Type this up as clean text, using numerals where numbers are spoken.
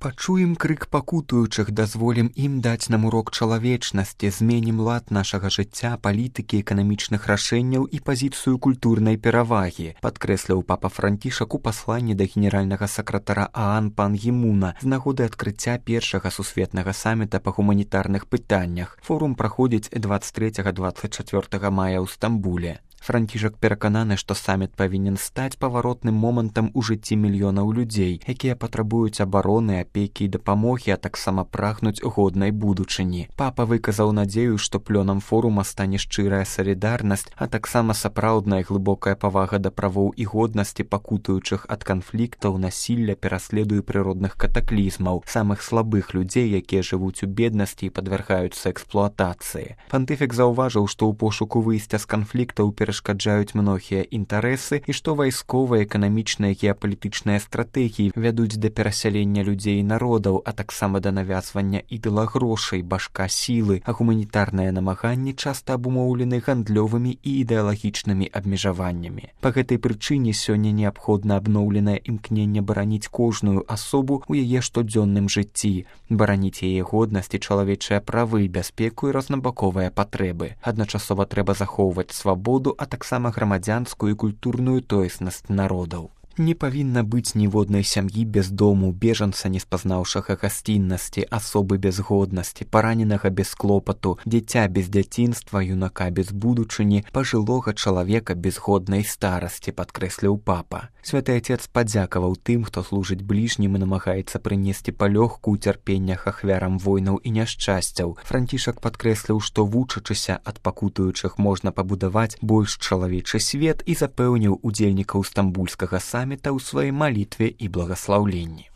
Пачуем крык пакутуючых, дазволім ім даць нам урок чалавечнасці, зменім лад нашага жыцця, палітыкі, эканамічных рашэнняў і пазіцыю культурнай перавагі, падкрэсліў папа Францішак у пасланні да генеральнага сакратара ААН Пан Гі Муна з нагоды адкрыцця першага сусветнага саміта па гуманітарных пытаннях. Форум праходзіць 23-24 мая ў Стамбуле. Францішак перакананы, што саміт павінен стаць паваротным момантам у жыцці мільёнаў людзей, якія патрабуюць абароны, апекі і дапамогі, а таксама прагнуць годнай будучыні. Папа выказаў надзею, што плёнам форума стане шчырая салідарнасць, а таксама сапраўдная глыбокая павага да правоў і годнасці пакутуючых ад канфліктаў, насілля, пераследу і прыродных катаклізмаў, самых слабых людзей, якія жывуць у беднасці і падвяргаюцца эксплуатацыі. Пантыфік заўважыў, што ў пошуку выйсця з канфліктаў перашкаджаюць многія інтарэсы і што вайсковыя, эканамічныя, геапалітычныя стратэгіі вядуць да перасялення людзей і народаў, а таксама да навязвання ідэла грошай, башка сілы, а гуманітарныя намаганні часта абумоўлены гандлёвымі і ідэалагічнымі абмежаваннямі. Па гэтай прычыне сёння неабходна абноўленае імкненне бараніць кожную асобу ў яе штодзённым жыцці, бараніць яе годнасць і чалавечыя правы, бяспеку і рознабаковыя патрэбы. Адначасова трэба захоўваць свабоду, а таксама грамадзянскую і культурную тоеснасць народаў. Не павінна быць ніводнай сям'і без дому, бежанца, не спазнаўшага гасціннасці, асобы без годнасці, параненага без клопату, дзіця без дзяцінства, юнака без будучыні, пажылога чалавека без годнай старасці, падкрэсліў папа. Святы Отец падзякаваў тым, хто служыць бліжнім і намагаецца прынесці палёгку ў цярпеннях ахвярам войнаў і няшчасцяў. Францішак падкрэсліў, што вучачыся ад пакутуючых можна пабудаваць больш чалавечы свет і запэўніў удзельнікаў стамбульскага саміта ў сваёй малітве і благаслаўленні.